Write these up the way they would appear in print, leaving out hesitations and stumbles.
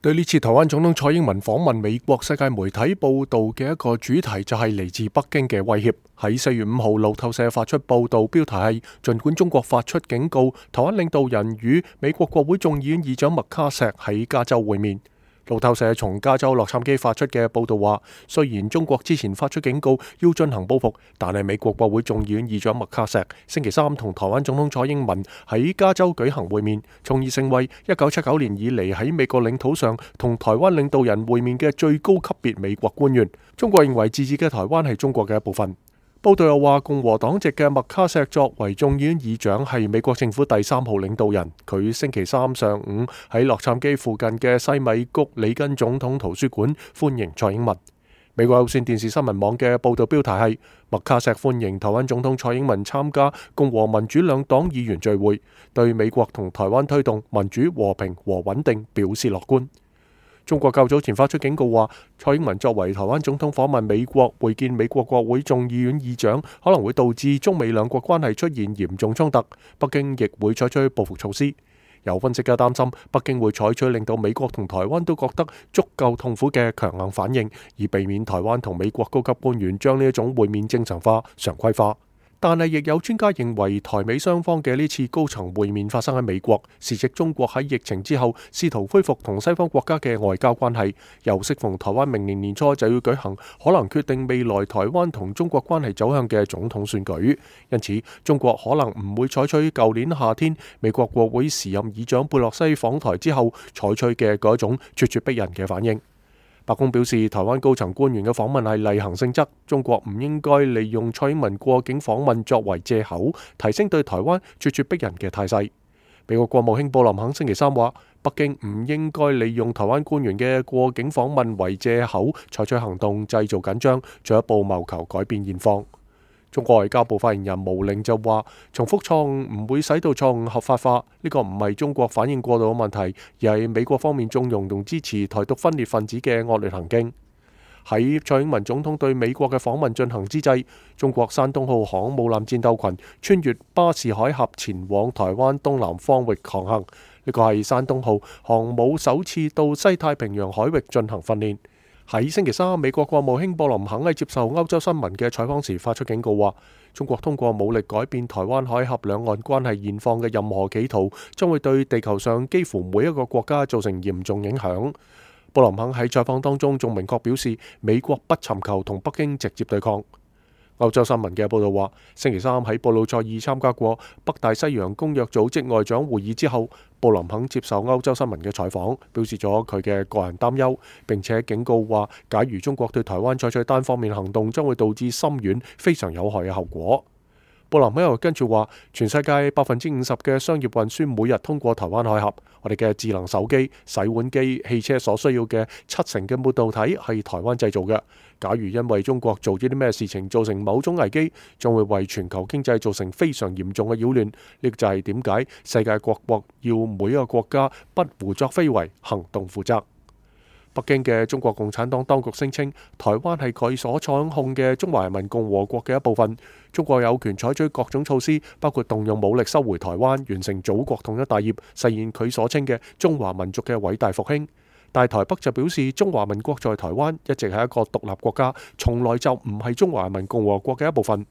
對呢次台灣總統蔡英文訪問美國，世界媒體報道嘅一個主題就係嚟自北京嘅威脅。喺4月5號，路透社發出報道，標題係儘管中國發出警告，台灣領導人與美國國會眾議院議長麥卡錫喺加州會面。路透社從加州洛杉磯發出嘅報道話，雖然中國之前發出警告要進行報復，但係美國國會眾議院議長麥卡錫星期三同台灣總統蔡英文喺加州舉行會面，從而成為1979年以嚟喺美國領土上同台灣領導人會面嘅最高級別美國官員。中國認為自治嘅台灣係中國嘅一部分。報道又話，共和黨籍嘅麥卡錫作為眾議院議長，係美國政府第3號領導人。佢星期三上午喺洛杉磯附近嘅西米谷里根總統圖書館歡迎蔡英文。美國有線電視新聞網嘅報道標題係麥卡錫歡迎台灣總統蔡英文參加共和民主兩黨議員聚會，對美國同台灣推動民主、和平和穩定表示樂觀。中國較早前發出警告話，蔡英文作為台灣總統訪問美國，會見美國國會眾議院議長，可能會導致中美兩國關係出現嚴重衝突，北京亦會採取報復措施。有分析家擔心，北京會採取令到美國同台灣都覺得足夠痛苦嘅強硬反應，以避免台灣同美國高級官員將呢一種會面正常化、常規化。但係亦有專家認為，台美雙方嘅呢次高層會面發生喺美國，時值中國喺疫情之後試圖恢復同西方國家嘅外交關係，又適逢台灣明年年初就要舉行可能決定未來台灣同中國關係走向嘅總統選舉，因此中國可能唔會採取舊年夏天美國國會時任議長佩洛西訪台之後採取嘅嗰種咄咄逼人嘅反應。白宮表示，台灣高層官員嘅訪問係例行性質，中國唔應該利用蔡英文過境訪問作為藉口，提升對台灣咄咄逼人嘅態勢。美國國務卿布林肯星期三話，北京唔應該利用台灣官員嘅過境訪問為藉口，採取行動製造緊張，進一步謀求改變現況。中國外交部發言人毛寧就話，重複錯誤唔會使到錯誤合法化，呢個唔係中國反應過度嘅問題，而係美國方面縱容同支持台獨分裂分子嘅惡劣行徑。喺蔡英文總統對美國嘅訪問進行之際，中國山東號航母艦戰鬥群穿越巴士海峽前往台灣東南方域航行，呢個係山東號航母首次到西太平洋海域進行訓練。喺星期三，美國國務卿布林肯喺接受歐洲新聞嘅採訪時發出警告，話中國通過武力改變台灣海峽兩岸關係現況嘅任何企圖，將會對地球上幾乎每一個國家造成嚴重影響。布林肯喺採訪當中仲明確表示，美國不尋求同北京直接對抗。歐洲新聞嘅報道話，星期三喺布魯塞爾參加過北大西洋公約組織外長會議之後，布林肯接受歐洲新聞嘅採訪，表示咗佢嘅個人擔憂，並且警告話，假如中國對台灣採取單方面行動，將會導致深遠、非常有害嘅後果。布林肯又跟住話，全世界50%嘅商業運輸每日通過台灣海峽，我哋嘅智能手機、洗碗機、汽車所需要嘅70%嘅半導體係台灣製造嘅。假如因為中國做咗啲咩事情造成某種危機，將會為全球經濟造成非常嚴重嘅擾亂。呢個就係點解世界各國要每一個國家不胡作非為，行動負責。北京嘅中國共產黨當局聲稱，台灣係佢所掌控嘅中華人民共和國嘅一部分，中國有權採取各種措施，包括動用武力收回台灣，完成祖國統一大業，實現佢所稱嘅中華民族嘅偉大復興。但台北就表示，中華民國在台灣一直係一個獨立國家，從來就唔係中華人民共和國嘅一部分。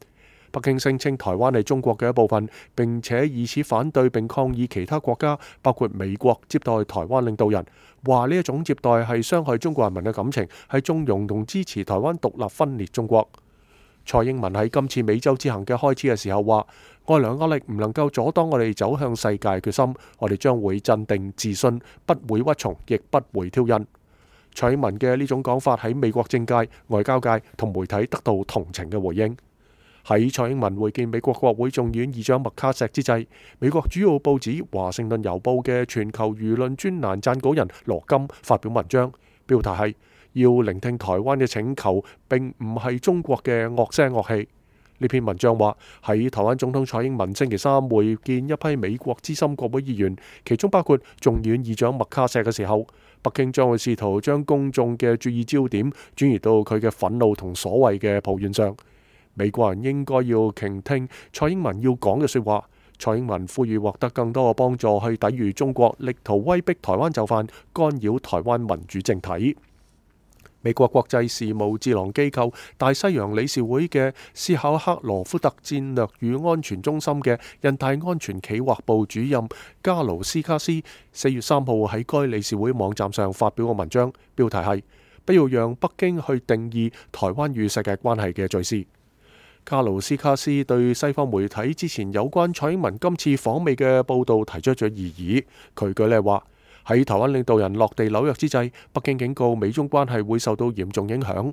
北京聲稱台灣係中國嘅一部分，並且以此反對並抗議其他國家，包括美國接待台灣領導人，話呢一種接待係傷害中國人民嘅感情，係縱容同支持台灣獨立分裂中國。蔡英文喺今次美洲之行嘅開始嘅時候話，外來壓力唔能夠阻擋我哋走向世界決心，我哋將會鎮定自信，不會屈從，亦不會挑釁。蔡英文嘅呢種講法喺美國政界、外交界同媒體得到同情嘅回應。喺蔡英文會見美國國會眾議院議長麥卡錫之際，美國主要報紙《華盛頓郵報》嘅全球輿論專欄撰稿人羅金發表文章，標題係要聆聽台灣嘅請求，並唔係中國嘅惡聲惡氣。呢篇文章話，喺台灣總統蔡英文星期三會見一批美國資深國會議員，其中包括眾議院議長麥卡錫嘅時候，北京將會試圖將公眾嘅注意焦點轉移到佢嘅憤怒同所謂嘅抱怨上。美國人應該要傾聽蔡英文要講嘅說話，蔡英文呼籲獲得更多嘅幫助去抵禦中國力圖威逼台灣就範，干擾台灣民主政體。美國國際事務智囊機構大西洋理事會嘅斯考克羅夫特戰略與安全中心嘅印太安全企劃部主任加盧斯卡斯4月3號喺該理事會網站上發表個文章，標題係不要讓北京去定義台灣與世界關係嘅敘事。加盧斯卡斯對西方媒體之前有關蔡英文今次訪美嘅報導提出咗異議。佢舉例話，喺台灣領導人落地紐約之際，北京警告美中關係會受到嚴重影響。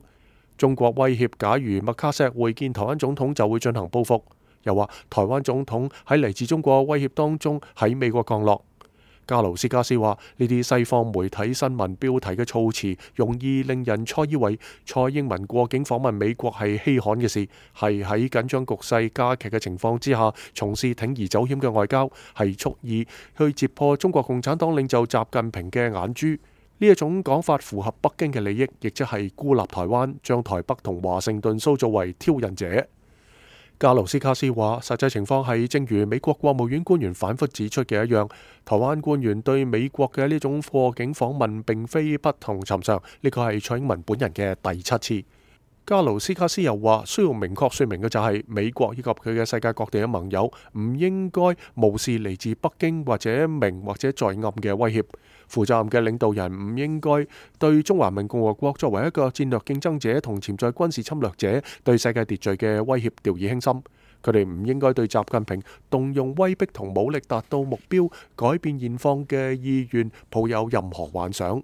中國威脅，假如麥卡錫會見台灣總統就會進行報復。又話台灣總統喺嚟自中國威脅當中喺美國降落。加盧斯卡斯話：呢啲西方媒體新聞標題嘅措辭，容易令人錯以為蔡英文過境訪問美國係稀罕嘅事，係喺緊張局勢加劇嘅情況之下，從事鋌而走險嘅外交，係蓄意去揭破中國共產黨領袖習近平嘅眼珠。呢一種講法符合北京嘅利益，亦即係孤立台灣，將台北同華盛頓塑造為挑釁者。加盧斯卡斯話：實際情況係，正如美國國務院官員反覆指出嘅一樣，台灣官員對美國嘅呢種過境訪問並非不同尋常，呢個係蔡英文本人嘅第7次。加盧斯卡斯又話：需要明確說明嘅就係，美國以及佢嘅世界各地嘅盟友唔應該無視嚟自北京或者明或者在暗嘅威脅。負責任嘅領導人唔應該對中華人民共和國作為一個戰略競爭者同潛在軍事侵略者對世界秩序嘅威脅掉以輕心。佢哋唔應該對習近平動用威逼同武力達到目標、改變現況嘅意願抱有任何幻想。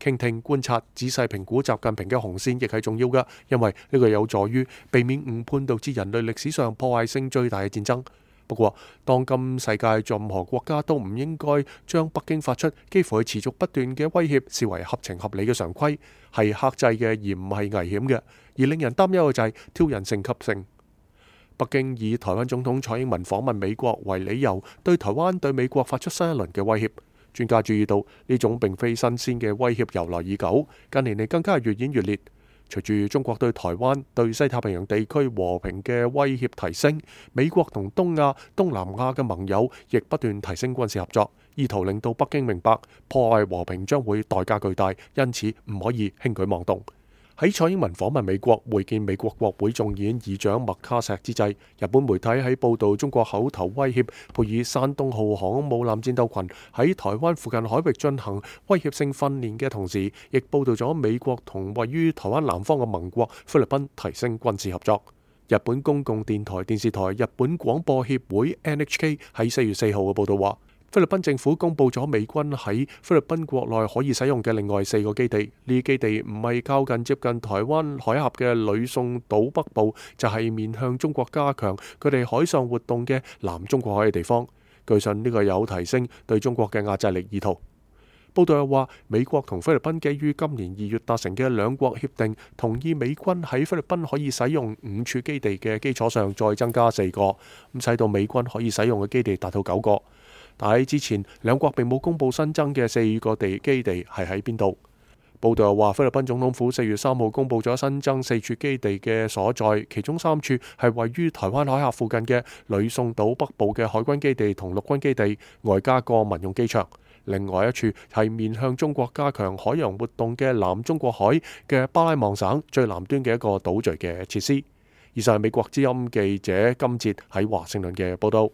傾聽、觀察、仔細評估習近平嘅紅線亦係重要嘅，因為呢個有助於避免誤判導致人類歷史上破壞性最大嘅戰爭。不過，當今世界任何國家都唔應該將北京發出幾乎係持續不斷嘅威脅視為合情合理嘅常規，係克制嘅而唔係危險嘅。而令人擔憂嘅就係挑釁性級性。北京以台灣總統蔡英文訪問美國為理由，對台灣對美國發出新一輪嘅威脅。專家注意到呢種並非新鮮嘅威脅由來已久，近年嚟更加係越演越烈。隨住中國對台灣、對西太平洋地區和平嘅威脅提升，美國同東亞、東南亞嘅盟友亦不斷提升軍事合作，意圖令到北京明白破壞和平將會代價巨大，因此唔可以輕舉妄動。喺蔡英文訪問美國會見美國國會眾議院議長麥卡錫之際，日本媒體喺報導中國口頭威脅配以山東號航空母艦戰鬥群喺台灣附近海域進行威脅性訓練嘅同時，亦報導咗美國同位於台灣南方嘅盟國菲律賓提升軍事合作。日本公共電台電視台日本廣播協會 NHK 喺4月4號嘅報導話，菲律賓政府公布咗美軍喺菲律賓國內可以使用嘅另外4個基地，呢基地唔係靠近接近台灣海峽嘅呂宋島北部，就係面向中國加強佢哋海上活動嘅南中國海嘅地方。據信呢個有提升對中國嘅壓制力意圖。報道又話，美國同菲律賓基於今年2月達成嘅兩國協定，同意美軍喺菲律賓可以使用5處基地嘅基礎上再增加4個，咁使到美軍可以使用嘅基地達到9個。但喺之前，兩國並冇公布新增嘅4個基地係喺邊度。報道又話，菲律賓總統府4月3號公布咗新增4處基地嘅所在，其中3處係位於台灣海峽附近嘅呂宋島北部嘅海軍基地同陸軍基地，外加個民用機場。另外一處係面向中國加強海洋活動嘅南中國海嘅巴拉望省最南端嘅一個島嶼嘅設施。以上係美國之音記者金哲喺華盛頓嘅報道。